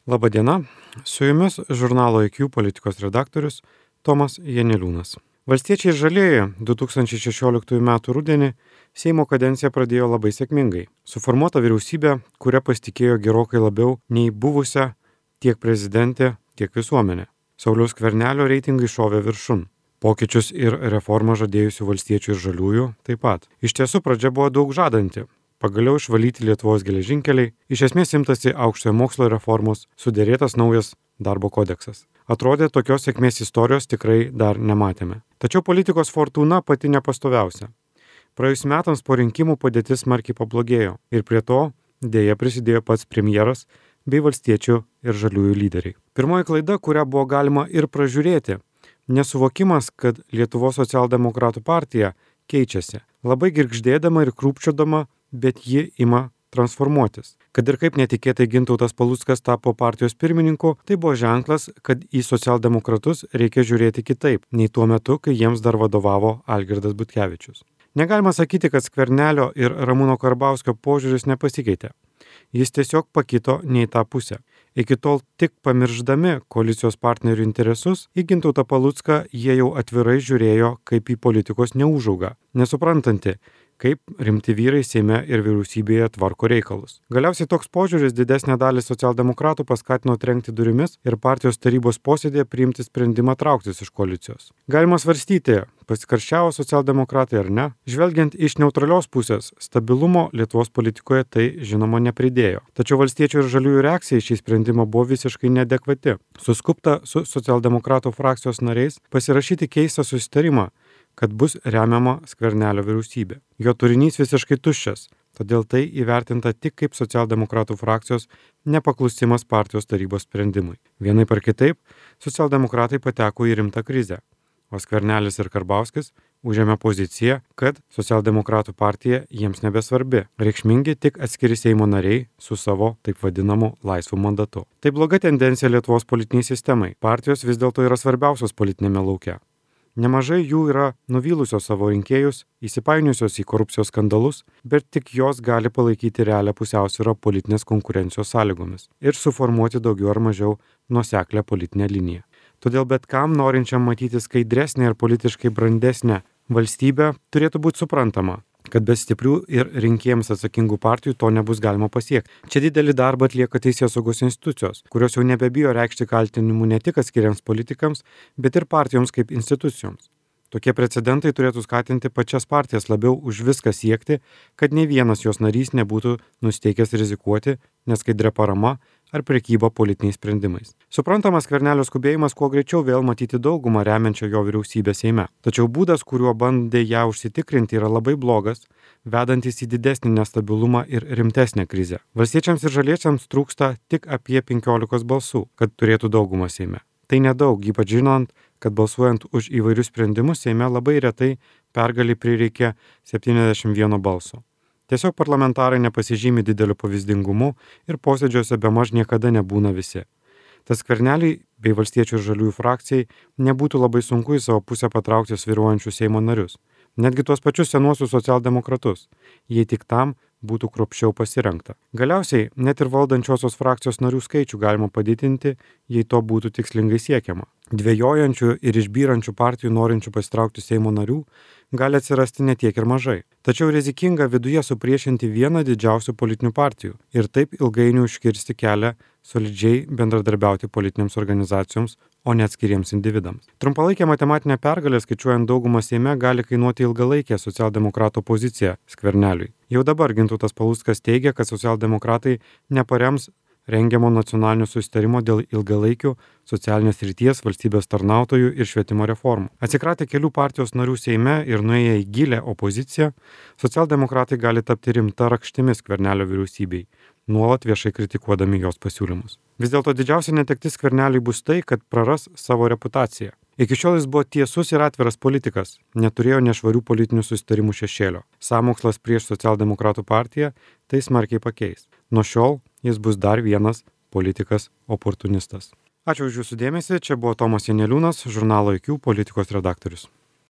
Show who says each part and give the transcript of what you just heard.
Speaker 1: Labą dieną, su jumis žurnalo IQ politikos redaktorius Tomas Janeliūnas. Valstiečiai ir žalieji 2016 m. rudenį Seimo kadenciją pradėjo labai sėkmingai. Suformuota vyriausybė, kuria pasitikėjo gerokai labiau nei buvusią tiek prezidentė, tiek visuomenė. Sauliaus Skvernelio reitingai šovė viršun. Pokyčius ir reformą žadėjusių valstiečių ir žaliųjų taip pat. Iš tiesų pradžia buvo daug žadanti. Pagaliau išvalyti Lietuvos geležinkeliai, iš esmės imtasi aukštojo mokslo reformos, sudėrėtas naujas darbo kodeksas. Atrodė, tokios sėkmės istorijos tikrai dar nematėme. Tačiau politikos fortūna pati nepastoviausia. Praėjus metams po rinkimų padėtis smarkiai pablogėjo ir prie to dėja prisidėjo pats premjeras bei valstiečių ir žaliųjų lyderiai. Pirmoji klaida, kurią buvo galima ir pražiūrėti, nesuvokimas, kad Lietuvos socialdemokratų partija keičiasi. Labai girgždėdama ir krūpčiodama, bet ji ima transformuotis. Kad ir kaip netikėtai Gintautas Paluckas tapo partijos pirmininku, tai buvo ženklas, kad į socialdemokratus reikia žiūrėti kitaip, nei tuo metu, kai jiems dar vadovavo Algirdas Butkevičius. Negalima sakyti, kad Skvernelio ir Ramūno Karbauskio požiūris nepasikeitė. Jis tiesiog pakito ne į tą pusę. Iki tol tik pamirždami koalicijos partnerių interesus, į Gintautą Palucką jie jau atvirai žiūrėjo kaip į politikos neužaugą, nesuprantanti, kaip rimti vyrai Seime ir vyriausybėje tvarko reikalus. Galiausiai toks požiūris didesnę dalį socialdemokratų paskatino trenkti durimis ir partijos tarybos posėdėje priimti sprendimą trauktis iš koalicijos. Galima svarstyti, pasikarščiavo socialdemokratai ar ne. Žvelgiant iš neutralios pusės, stabilumo Lietuvos politikoje tai žinoma nepridėjo. Tačiau valstiečių ir žaliųjų reakcija į šį sprendimą buvo visiškai neadekvati. Suskubta su socialdemokratų frakcijos nariais pasirašyti keistą susitarimą, kad bus remiama Skvernelio vyriausybė. Jo turinys visiškai tuščias, todėl tai įvertinta tik kaip socialdemokratų frakcijos nepaklusimas partijos tarybos sprendimui. Vienaip ar kitaip, socialdemokratai pateko į rimtą krizę, o Skvernelis ir Karbauskis užėmė poziciją, kad socialdemokratų partija jiems nebesvarbi, reikšmingi tik atskiri Seimo nariai su savo taip vadinamu laisvu mandatu. Tai bloga tendencija Lietuvos politiniai sistemai. Partijos vis dėlto yra svarbiausios politinėme lauke. Nemažai jų yra nuvylusios savo rinkėjus, įsipainiusios į korupcijos skandalus, bet tik jos gali palaikyti realią pusiausvyrą politinės konkurencijos sąlygomis ir suformuoti daugiau ar mažiau nuoseklią politinę liniją. Todėl bet kam norinčiam matyti skaidresnę ir politiškai brandesnę valstybę turėtų būti suprantama, kad be stiprių ir rinkėjams atsakingų partijų to nebus galima pasiekti. Čia didelį darbą atlieka teisėsaugos institucijos, kurios jau nebebijo reikšti kaltinimų ne tik atskiriams politikams, bet ir partijoms kaip institucijoms. Tokie precedentai turėtų skatinti pačias partijas labiau už viską siekti, kad nei vienas jos narys nebūtų nusteikęs rizikuoti neskaidria parama ar prekyba politiniais sprendimais. Suprantamas Skvernelio skubėjimas kuo greičiau vėl matyti daugumą remiančią jo vyriausybę Seime. Tačiau būdas, kuriuo bandė ją užsitikrinti, yra labai blogas, vedantis į didesnį nestabilumą ir rimtesnę krizę. Valstiečiams ir žaliečiams trūksta tik apie 15 balsų, kad turėtų daugumą Seime. Tai nedaug, ypač žinant, kad balsuojant už įvairius sprendimus Seime labai retai pergalį prireikia 71 balso. Tiesiog parlamentarai nepasižymi dideliu pavyzdingumu ir posėdžiuose bemaž niekada nebūna visi. Tas Skverneliui bei valstiečių ir žaliųjų frakcijai nebūtų labai sunku į savo pusę patraukti svyruojančius Seimo narius, netgi tuos pačius senuosius socialdemokratus, jei tik tam būtų kruopščiau pasirengta. Galiausiai net ir valdančiosios frakcijos narių skaičių galima padidinti, jei to būtų tikslingai siekiama. Dvejojančių ir išbyrančių partijų norinčių pasitraukti Seimo narių gali atsirasti ne tiek ir mažai. Tačiau rizikinga viduje supriešinti vieną didžiausių politinių partijų ir taip ilgainiui užkirsti kelią solidžiai bendradarbiauti politinėms organizacijoms, o ne atskiriems individams. Trumpalaikė matematinė pergalė skaičiuojant daugumą Seime gali kainuoti ilgalaikę socialdemokratų poziciją Skverneliui. Jau dabar Gintautas Paluckas teigia, kad socialdemokratai neparems rengiamo nacionalinio susitarimo dėl ilgalaikių socialinės srities, valstybės tarnautojų ir švietimo reformų. Atsikratę kelių partijos narių Seime ir nuėję į gilią opoziciją, socialdemokratai gali tapti rimta rakštimi Skvernelio vyriausybei, nuolat viešai kritikuodami jos pasiūlymus. Vis dėlto didžiausia netektis Skverneliui bus tai, kad praras savo reputaciją. Iki šiol jis buvo tiesus ir atviras politikas, neturėjo nešvarių politinių susitarimų šešėlio. Sąmokslas prieš socialdemokratų partiją tai smarkiai pakeis. Nuo šiol jis bus dar vienas politikas oportunistas. Ačiū už jūsų dėmesį, čia buvo Tomas Janeliūnas, žurnalo IQ politikos redaktorius.